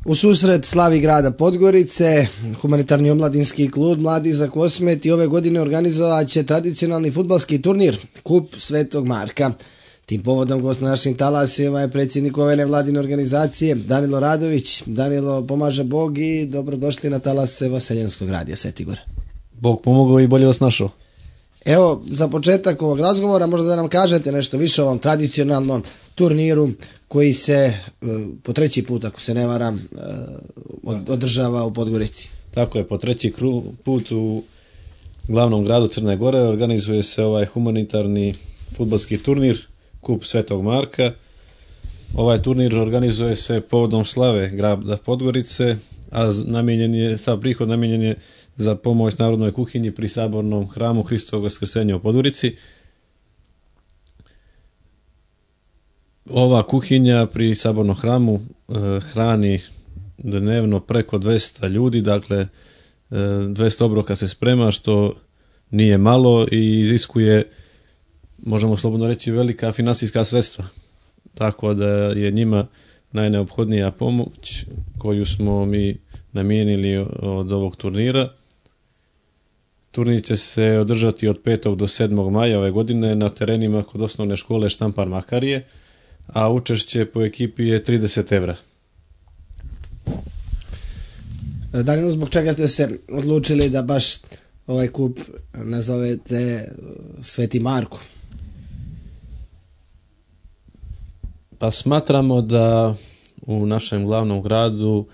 U susret slavi grada Podgorice, humanitarni omladinski klub Mladi za Kosmet i ove godine organizovat će tradicionalni fudbalski turnir Kup Svetog Marka. Tim povodom gost na našim talasima je predsjednik ove nevladine organizacije Danilo Radović. Danilo, pomaže Bog i dobrodošli na talase Vaseljenskog radija Svetigor. Bog pomogao i bolje vas našao. Evo, za početak ovog razgovora možda da nam kažete nešto više o ovom tradicionalnom turniru koji se po treći put, ako se ne varam, održava u Podgorici. Tako je, po treći put u glavnom gradu Crne Gore organizuje se ovaj humanitarni fudbalski turnir Kup Svetog Marka. Ovaj turnir organizuje se povodom slave grada Podgorice, a sav prihod namijenjen je za pomoć narodnoj kuhinji pri sabornom hramu Hristovog Vaskrsenja u Podgorici. Ova kuhinja pri sabornom hramu hrani dnevno preko 200 ljudi, dakle 200 obroka se sprema, što nije malo i iziskuje, možemo slobodno reći, velika finansijska sredstva. Tako da je njima najneophodnija pomoć koju smo mi namijenili od ovog turnira. Turnir će se održati od 5. do 7. maja ove godine na terenima kod osnovne škole Štampar Makarije, a učešće po ekipi je 30 evra. Danilo, zbog čega ste se odlučili da baš ovaj kup nazovete Sveti Marko? Pa smatramo da u našem glavnom gradu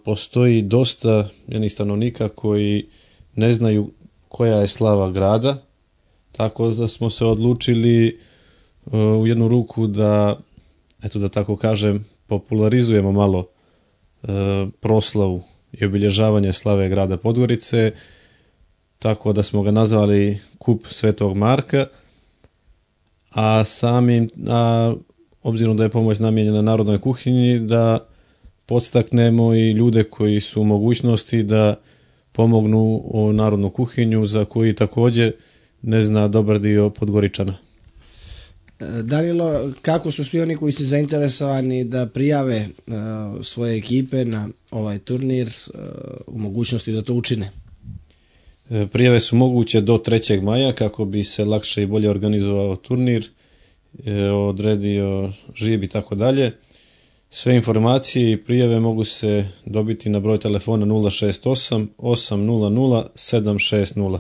postoji dosta jednih stanovnika koji ne znaju koja je slava grada, tako da smo se odlučili u jednu ruku da, eto da tako kažem, popularizujemo malo proslavu i obilježavanje slave grada Podgorice, tako da smo ga nazvali Kup Svetog Marka, a obzirom da je pomoć namijenjena narodnoj kuhinji, da podstaknemo i ljude koji su u mogućnosti da pomognu u narodnu kuhinju, za koji također ne zna dobar dio Podgoričana. Danilo, kako su svi oni koji su zainteresovani da prijave svoje ekipe na ovaj turnir u mogućnosti da to učine? Prijave su moguće do 3. maja kako bi se lakše i bolje organizovao turnir, odredio žijeb i tako dalje. Sve informacije i prijave mogu se dobiti na broj telefona 068 800 760.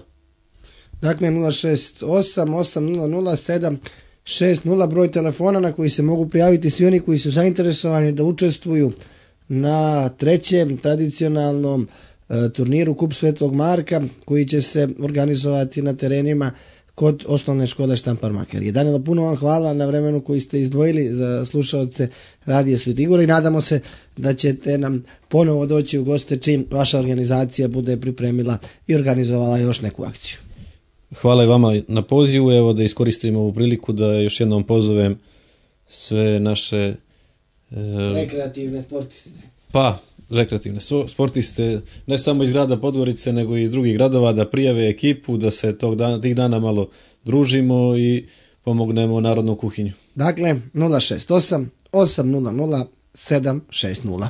Dakle, 068 800 760, broj telefona na koji se mogu prijaviti svi oni koji su zainteresovani da učestvuju na trećem tradicionalnom turniru Kup Svetog Marka, koji će se organizovati na terenima kod osnovne škole Štampar Makarije. Danilo, puno vam hvala na vremenu koji ste izdvojili za slušaoce radija Svetigora i nadamo se da ćete nam ponovo doći u goste čim vaša organizacija bude pripremila i organizovala još neku akciju. Hvala i vama na pozivu. Evo da iskoristim ovu priliku da još jednom pozovem sve naše rekreativne sportiste. Rekreativne sportiste, ne samo iz grada Podgorice, nego i iz drugih gradova, da prijave ekipu, da se tih dana malo družimo i pomognemo narodnu kuhinju. Dakle, 068 800 760.